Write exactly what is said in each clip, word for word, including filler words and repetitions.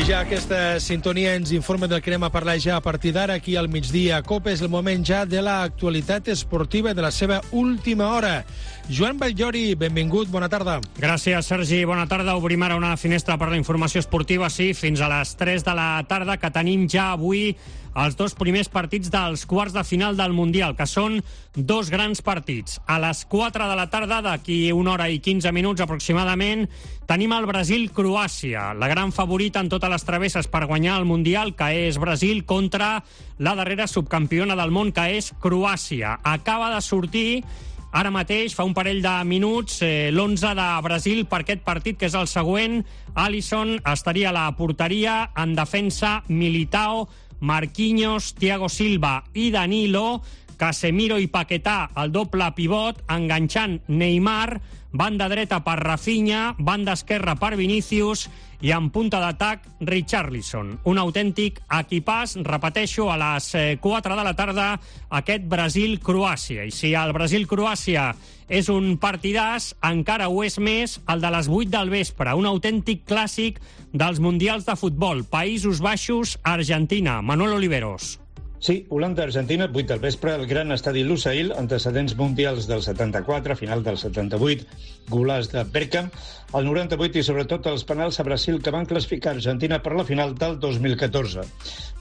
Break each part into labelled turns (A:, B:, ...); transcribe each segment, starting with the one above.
A: I ja aquesta sintonia ens informa del que anem a parlar ja a partir d'ara aquí al migdia. COPE és el moment ja de l'actualitat esportiva de la seva última hora. Joan Batllori, benvingut, bona tarda.
B: Gràcies, Sergi, bona tarda. Obrim ara una finestra per la informació esportiva, sí, fins a les tres de la tarda, que tenim ja avui els dos primers partits dels quarts de final del Mundial, que són dos grans partits. A les quatre de la tarda, d'aquí una hora i quinze minuts aproximadament, tenim el Brasil-Croàcia, la gran favorita en totes les travesses per guanyar el Mundial, que és Brasil, contra la darrera subcampiona del món, que és Croàcia. Acaba de sortir ara mateix, fa un parell de minuts, eh, l'onze de Brasil per aquest partit, que és el següent. Alisson estaria a la porteria, en defensa Militao, Marquinhos, Thiago Silva i Danilo, Casemiro i Paquetá, el doble pivot, enganxant Neymar, banda dreta per Rafinha, banda esquerra per Vinícius i en punta d'atac Richarlison. Un autèntic equipàs, repeteixo, a les quatre de la tarda, aquest Brasil-Croàcia. I si el Brasil-Croàcia és un partidàs, encara ho és més el de les vuit del vespre, un autèntic clàssic dels mundials de futbol. Països Baixos, Argentina. Manuel Oliveros.
C: Sí, Holanda-Argentina, vuit del vespre, el gran estadi Lusail, antecedents mundials del setanta-quatre, final del setanta-vuit, golàs de Bergkamp, el noranta-vuit i sobretot els penals a Brasil que van classificar Argentina per la final del dos mil catorze.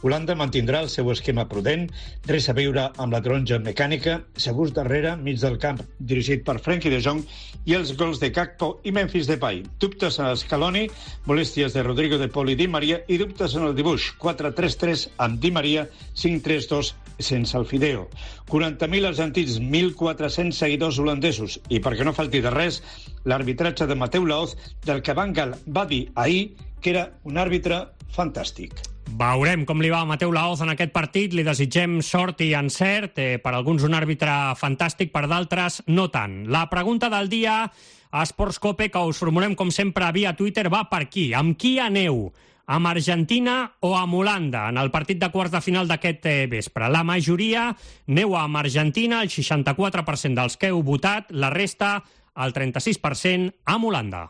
C: Holanda mantindrà el seu esquema prudent, res a veure amb la taronja mecànica, segurs darrere, mig del camp, dirigit per Frenkie de Jong, i els gols de Gakpo i Memphis Depay. Dubtes a Scaloni, molèsties de Rodrigo de Paul i Di Maria, i dubtes en el dibuix, quatre tres tres amb Di Maria, cinc tres dos sense el Fideo. quaranta mil argentins, mil quatre-cents seguidors holandesos, i perquè no falti de res, l'arbitratge de Mateu Laoz, del que Van Gaal va dir ahir que era un àrbitre fantàstic.
B: Veurem com li va a Mateu Laoz en aquest partit. Li desitgem sort i encert. Eh, per alguns un àrbitre fantàstic, per d'altres no tant. La pregunta del dia a Esports Cope, que us formulem com sempre via Twitter, va per aquí. Amb qui aneu? Amb Argentina o amb Holanda en el partit de quarts de final d'aquest eh, vespre? La majoria aneu amb Argentina, el seixanta-quatre per cent dels que heu votat, la resta, el trenta-sis per cent, amb Holanda.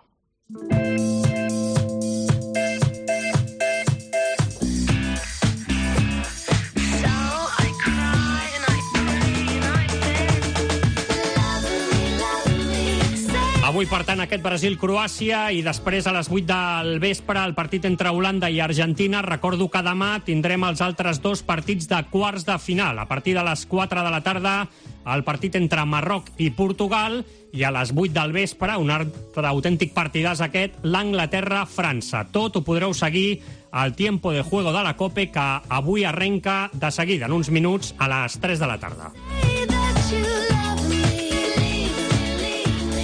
B: Avui, per tant, aquest Brasil-Croàcia i després a les vuit del vespre el partit entre Holanda i Argentina. Recordo que demà tindrem els altres dos partits de quarts de final. A partir de les quatre de la tarda el partit entre Marroc i Portugal i a les vuit del vespre, un altre autèntic partidàs aquest, l'Anglaterra-França. Tot ho podreu seguir al Tiempo de Juego de la COPE, que avui arrenca de seguida, en uns minuts, a les tres de la tarda.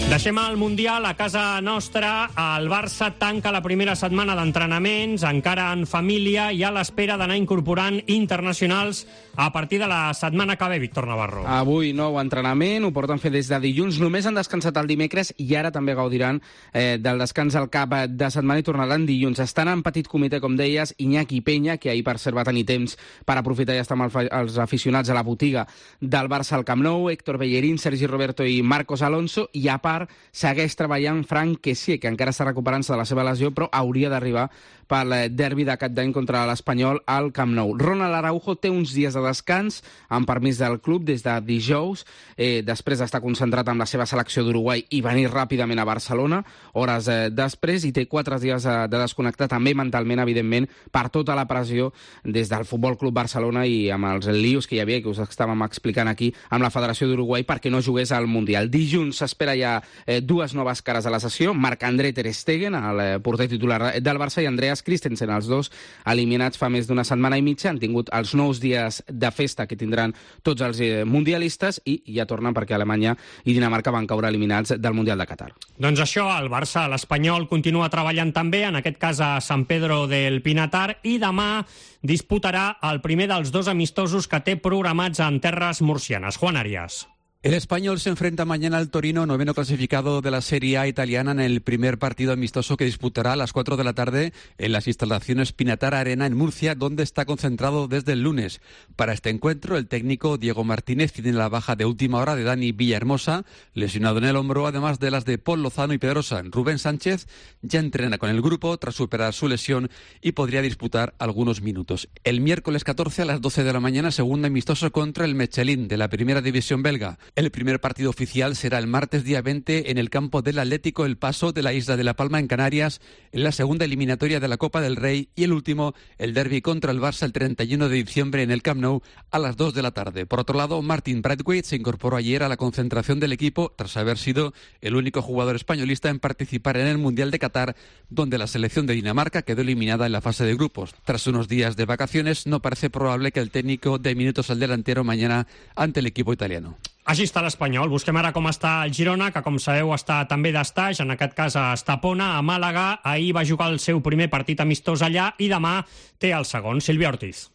B: Deixem el Mundial a casa nostra. El Barça tanca la primera setmana d'entrenaments, encara en família i a l'espera d'anar incorporant internacionals a partir de la setmana que ve, Víctor Navarro.
D: Avui nou entrenament, ho porten fer des de dilluns, només han descansat el dimecres i ara també gaudiran eh, del descans al cap de setmana i tornaran dilluns. Estan en petit comitè, com deies, Iñaki Peña, que ahir per cert va tenir temps per aprofitar i estar amb els aficionats a la botiga del Barça al Camp Nou, Héctor Bellerín, Sergi Roberto i Marcos Alonso, i a part segueix treballant Frank Kessié, que encara està recuperant-se de la seva lesió, però hauria d'arribar pel derbi de cap d'any contra l'Espanyol al Camp Nou. Ronald Araujo té uns dies de descans, amb permís del club, des de dijous, eh, després d'estar concentrat amb la seva selecció d'Uruguai i venir ràpidament a Barcelona, hores eh, després, i té quatre dies de, de desconnectar, també mentalment, evidentment, per tota la pressió des del Futbol Club Barcelona i amb els lios que hi havia, que us estàvem explicant aquí, amb la Federació d'Uruguai, perquè no jugués al Mundial. Dilluns s'espera ja eh, dues noves cares a la sessió, Marc-André ter Stegen, el eh, porter titular del Barça, i Andreas Christensen, els dos eliminats fa més d'una setmana i mitja. Han tingut els nous dies de festa que tindran tots els eh, mundialistes i ja tornen perquè Alemanya i Dinamarca van caure eliminats del Mundial de Qatar.
B: Doncs això, el Barça, l'Espanyol, continua treballant també, en aquest cas a San Pedro del Pinatar, i demà disputarà el primer dels dos amistosos que té programats en terres murcianes. Juan Arias.
E: El Español se enfrenta mañana al Torino, noveno clasificado de la Serie A italiana, en el primer partido amistoso que disputará a las cuatro de la tarde en las instalaciones Pinatara Arena en Murcia, donde está concentrado desde el lunes. Para este encuentro, el técnico Diego Martínez tiene la baja de última hora de Dani Villahermosa, lesionado en el hombro, además de las de Paul Lozano y Pedrosa. Rubén Sánchez ya entrena con el grupo tras superar su lesión y podría disputar algunos minutos. El miércoles catorce a las doce de la mañana, segundo amistoso contra el Mechelin de la primera división belga. El primer partido oficial será el martes día veinte en el campo del Atlético El Paso de la isla de La Palma en Canarias, en la segunda eliminatoria de la Copa del Rey, y el último, el derbi contra el Barça el treinta y uno de diciembre en el Camp Nou a las dos de la tarde. Por otro lado, Martin Braithwaite se incorporó ayer a la concentración del equipo tras haber sido el único jugador españolista en participar en el Mundial de Qatar, donde la selección de Dinamarca quedó eliminada en la fase de grupos. Tras unos días de vacaciones, no parece probable que el técnico dé minutos al delantero mañana ante el equipo italiano.
B: Així està l'Espanyol. Busquem ara com està el Girona, que com sabeu està també d'estaix, en aquest cas a Estapona, a Màlaga. Ahir va jugar el seu primer partit amistós allà i demà té el segon. Sílvia Ortiz.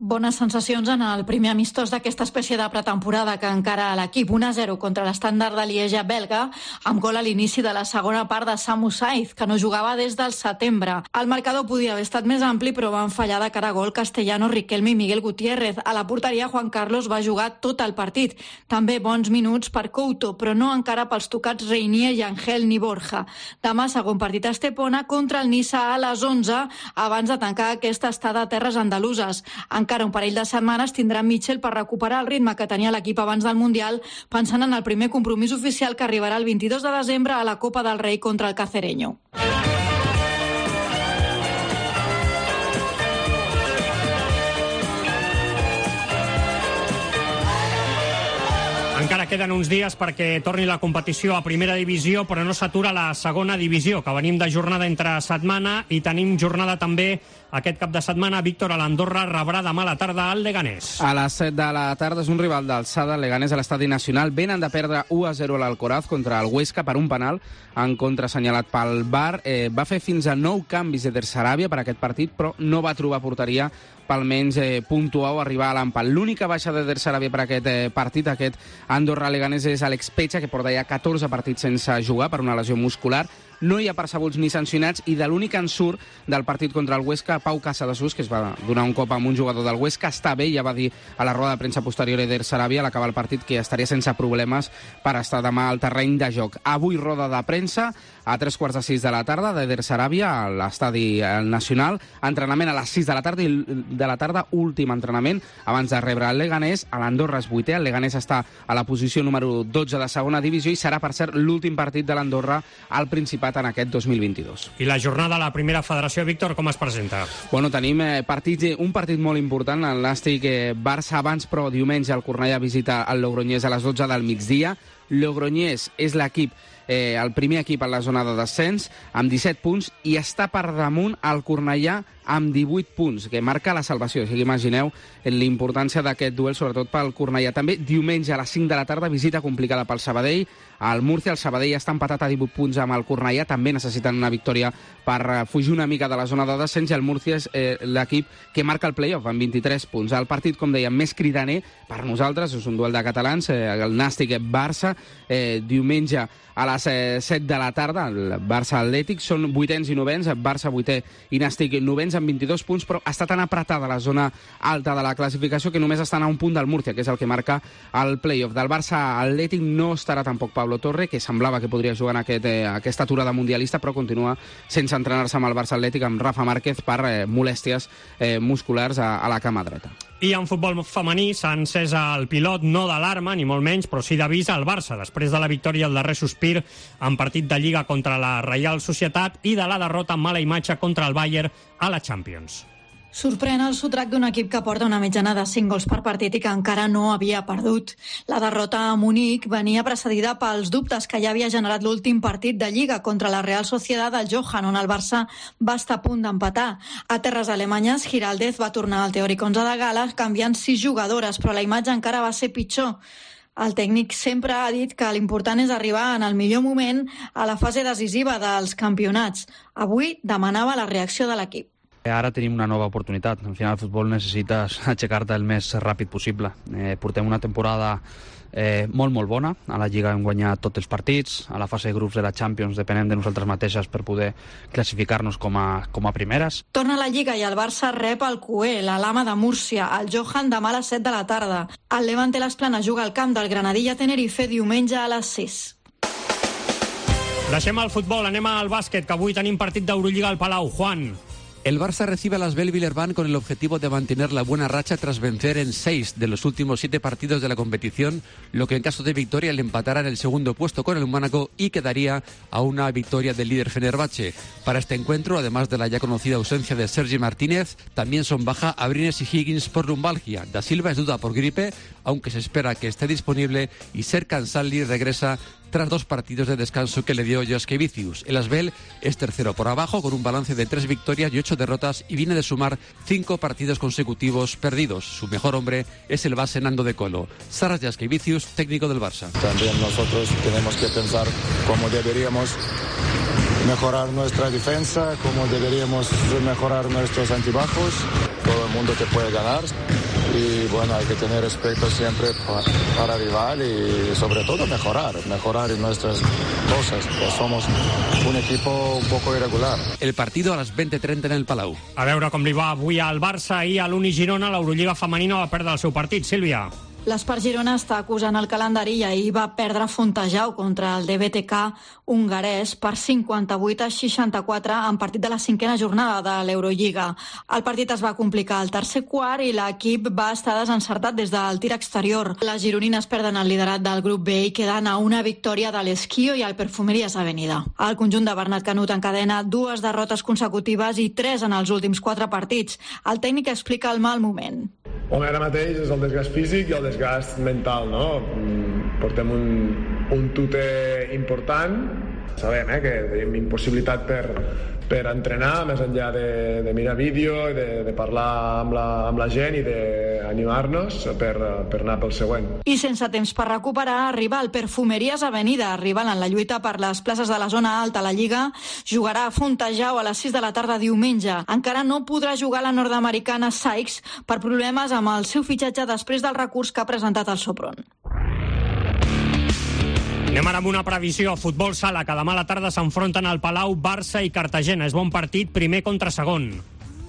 F: Bones sensacions en el primer amistós d'aquesta espècie de pretemporada que encara l'equip un a zero contra l'Estàndard de Lieja belga, amb gol a l'inici de la segona part de Samu Saiz, que no jugava des del setembre. El marcador podia haver estat més ampli, però van fallar de cara a gol Castellano, Riquelme i Miguel Gutiérrez. A la porteria, Juan Carlos va jugar tot el partit. També bons minuts per Couto, però no encara pels tocats Reinier, Yangel ni Borja. Demà, segon partit a Estepona contra el Niça a les onze, abans de tancar aquesta estada a terres andaluses. Encara un parell de setmanes tindrà Mitchell per recuperar el ritme que tenia l'equip abans del Mundial, pensant en el primer compromís oficial que arribarà el vint-i-dos de desembre a la Copa del Rei contra el Cacereño.
B: Encara queden uns dies perquè torni la competició a primera divisió, però no s'atura la segona divisió, que venim de jornada entre setmana i tenim jornada també aquest cap de setmana. Víctor, a l'Andorra rebrà demà a la tarda al Leganés.
D: A les set de la tarda és un rival d'alçada, el Leganés, a l'Estadi Nacional. Venen de perdre u a zero a l'Alcoraz contra el Huesca per un penal en contra assenyalat pel V A R. Eh, va fer fins a nou canvis Eder Sarabia per aquest partit, però no va trobar porteria pel menys eh, puntuar o arribar a l'empat. L'única baixa d'Eder Sarabia per aquest eh, partit, aquest Andorra-Leganés, és Alex Pecha, que porta ja catorze partits sense jugar per una lesió muscular. No hi ha percebuts ni sancionats, i de l'únic en surt del partit contra el Huesca, Pau Casadesús, que es va donar un cop amb un jugador del Huesca, està bé, ja va dir a la roda de premsa posterior Eder Sarabia a l'acabar el partit que estaria sense problemes per estar demà al terreny de joc. Avui roda de premsa a tres quarts de sis de la tarda d'Eder Sarabia a l'Estadi Nacional, entrenament a les sis de la tarda i de la tarda últim entrenament abans de rebre el Leganés. A l'Andorra és vuitè, el Leganés està a la posició número dotze de segona divisió i serà, per cert, l'últim partit de l'Andorra al Principat en aquest dos mil vint-i-dos.
B: I la jornada a la primera federació, Víctor, com es presenta?
D: Bueno, tenim eh, partits, un partit molt important, el Nàstic eh, Barça abans, però diumenge el Cornellà visita el Logroñés a les dotze del migdia. Logroñés és l'equip, eh, el primer equip en la zona de descens, amb disset punts, i està per damunt el Cornellà amb divuit punts, que marca la salvació. O sigui, imagineu l'importància d'aquest duel, sobretot pel Cornellà. També diumenge a les cinc de la tarda, visita complicada pel Sabadell. Al Murcia, el Sabadell està empatat a divuit punts amb el Cornellà, també necessiten una victòria per fugir una mica de la zona de descens, i el Murcia és eh, l'equip que marca el play-off amb vint-i-tres punts. El partit, com dèiem, més cridaner per nosaltres, és un duel de catalans, eh, el Nàstic-Barça, eh, diumenge a les eh, set de la tarda, el Barça-Atlètic, són vuitens i novens, Barça vuitè i Nàstic novens amb vint-i-dos punts, però està tan apretada la zona alta de la classificació que només estan a un punt del Murcia, que és el que marca el play-off. Del Barça-Atlètic no estarà tampoc Pablo Torre, que semblava que podria jugar en aquest, eh, aquesta aturada mundialista, però continua sense entrenar-se amb el Barça-Atlètic, amb Rafa Márquez, per eh, molèsties eh, musculars a, a la cama dreta.
B: I en futbol femení s'ha encès el pilot, no d'alarma, ni molt menys, però sí d'avís al Barça, després de la victòria al darrer sospir en partit de Lliga contra la Reial Societat i de la derrota amb mala imatge contra el Bayern a la Champions.
F: Sorprèn el sotrac d'un equip que porta una mitjana de cinc gols per partit i que encara no havia perdut. La derrota a Munic venia precedida pels dubtes que ja havia generat l'últim partit de Lliga contra la Real Sociedad del Johan, on el Barça va estar a punt d'empatar. A terres alemanyes, Giraldez va tornar al teòric onze de gala, canviant sis jugadores, però la imatge encara va ser pitjor. El tècnic sempre ha dit que l'important és arribar en el millor moment a la fase decisiva dels campionats. Avui demanava la reacció de l'equip.
D: Ara tenim una nova oportunitat. Al final el futbol necessites aixecar-te el més ràpid possible. Eh, portem una temporada eh, molt, molt bona. A la Lliga hem guanyat tots els partits. A la fase de grups de la Champions depenem de nosaltres mateixes per poder classificar-nos com a, com a primeres.
F: Torna a la Lliga i el Barça rep el Q E, la Lama de Múrcia, el Johan demà a les set de la tarda. El Levante Les Planes juga al camp del Granadilla Tenerife diumenge a les sis.
B: Deixem el futbol, anem al bàsquet, que avui tenim partit d'Eurolliga al Palau. Juan.
E: El Barça recibe a las Bell Villerban con el objetivo de mantener la buena racha tras vencer en seis de los últimos siete partidos de la competición, lo que en caso de victoria le empatará en el segundo puesto con el Mónaco y quedaría a una victoria del líder Fenerbahce. Para este encuentro, además de la ya conocida ausencia de Sergi Martínez, también son baja Abrines y Higgins por lumbalgia. Da Silva es duda por gripe, aunque se espera que esté disponible, y Serkan Salli regresa tras dos partidos de descanso que le dio Jaskevicius. El Asbel es tercero por abajo con un balance de tres victorias y ocho derrotas y viene de sumar cinco partidos consecutivos perdidos. Su mejor hombre es el base Nando de Colo. Saras Jaskevicius, técnico del Barça.
G: También nosotros tenemos que pensar cómo deberíamos mejorar nuestra defensa, cómo deberíamos mejorar nuestros antibajos. Todo el mundo te puede ganar y bueno, hay que tener respeto siempre para, para el rival y sobre todo mejorar, mejorar en nuestras cosas. Pues somos un equipo un poco irregular.
E: El partido a las veinte treinta en el Palau.
B: A veure com li va avui al Barça i a l'Uni Girona. L'Eurolliga femenina va perdre el seu partit. Sílvia.
F: L'Espart Girona està acusant el calendari i ahir va perdre Fontejau contra el D B T K hongarès per cinquanta-vuit a seixanta-quatre en partit de la cinquena jornada de l'Eurolliga. El partit es va complicar al tercer quart i l'equip va estar desencertat des del tir exterior. Les gironines perden el liderat del grup B i queden a una victòria de l'Esquio i el Perfumerías Avenida. El conjunt de Bernat Canut encadena dues derrotes consecutives i tres en els últims quatre partits. El tècnic explica el mal moment.
H: Home, ara mateix és el desgast físic i el desgast mental, no? Portem un, un tute important. Sabem eh, que tenim impossibilitat per, per entrenar, més enllà de, de mirar vídeo, de, de parlar amb la, amb la gent i d'animar-nos per, per anar pel següent.
F: I sense temps per recuperar, arriba el Perfumerías Avenida, arribant en la lluita per les places de la zona alta a la Lliga. Jugarà a Fontejau a les sis de la tarda diumenge. Encara no podrà jugar la nord-americana Sykes per problemes amb el seu fitxatge després del recurs que ha presentat el Sopron.
B: Anem ara amb una previsió. Futbol sala, que demà a la tarda s'enfronten al Palau Barça i Cartagena. És bon partit, primer contra segon.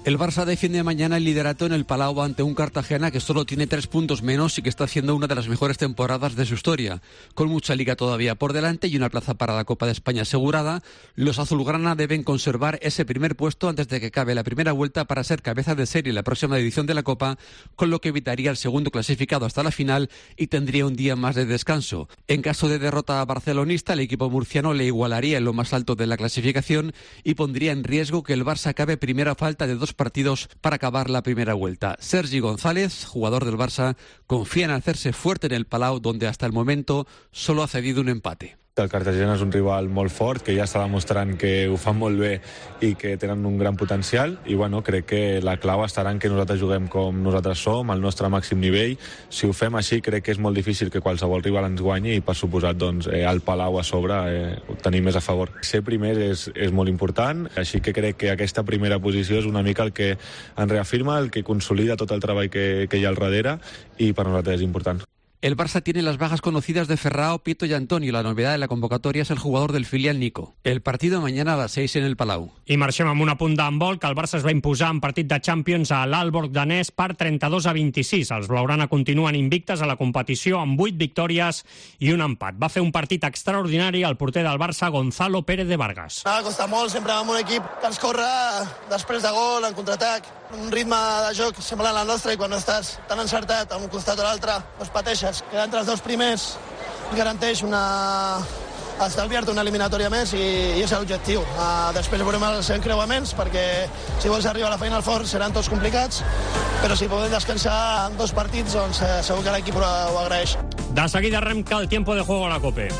E: El Barça defiende mañana el liderato en el Palau ante un Cartagena que solo tiene tres puntos menos y que está haciendo una de las mejores temporadas de su historia. Con mucha liga todavía por delante y una plaza para la Copa de España asegurada, los azulgrana deben conservar ese primer puesto antes de que acabe la primera vuelta para ser cabeza de serie en la próxima edición de la Copa, con lo que evitaría el segundo clasificado hasta la final y tendría un día más de descanso. En caso de derrota barcelonista, el equipo murciano le igualaría en lo más alto de la clasificación y pondría en riesgo que el Barça acabe primero a falta de dos partidos para acabar la primera vuelta. Sergi González, jugador del Barça, confía en hacerse fuerte en el Palau, donde hasta el momento solo ha cedido un empate.
I: El Cartagena és un rival molt fort, que ja està demostrant que ho fan molt bé i que tenen un gran potencial, i bueno, crec que la clau estarà en que nosaltres juguem com nosaltres som, al nostre màxim nivell. Si ho fem així, crec que és molt difícil que qualsevol rival ens guanyi i, per suposat, doncs, eh, el Palau a sobre eh, ho tenim més a favor. Ser primer és, és molt important, així que crec que aquesta primera posició és una mica el que ens reafirma, el que consolida tot el treball que, que hi ha al darrere, i per nosaltres és important.
E: El Barça tiene las bajas conocidas de Ferrao, Pito y Antonio. La novedad de la convocatoria es el jugador del filial Nico. El partido mañana a las seis en el Palau.
B: I marxem amb un apunt d'handbol, que el Barça es va imposar en partit de Champions a l'Aalborg danès per trenta-dos a vint-i-sis. Els blaugrana continuen invictes a la competició amb vuit victòries i un empat. Va fer un partit extraordinari el porter del Barça, Gonzalo Pérez de Vargas.
J: Ha costat molt, sempre amb un equip que ens corre després de gol, en contraatac, un ritme de joc semblant al nostre, i quan estàs tan encertat a un costat o l'altre, doncs pateixes. Quedar entre els dos primers garanteix una... estalviar-te una eliminatòria més, i, i és l'objectiu. Uh, després veurem els encreuaments, perquè si vols arribar a la Final Four seran tots complicats, però si podem descansar en dos partits, doncs uh, segur que l'equip ho, ho agraeix.
B: De seguida arrenca el tiempo de juego a la COPE.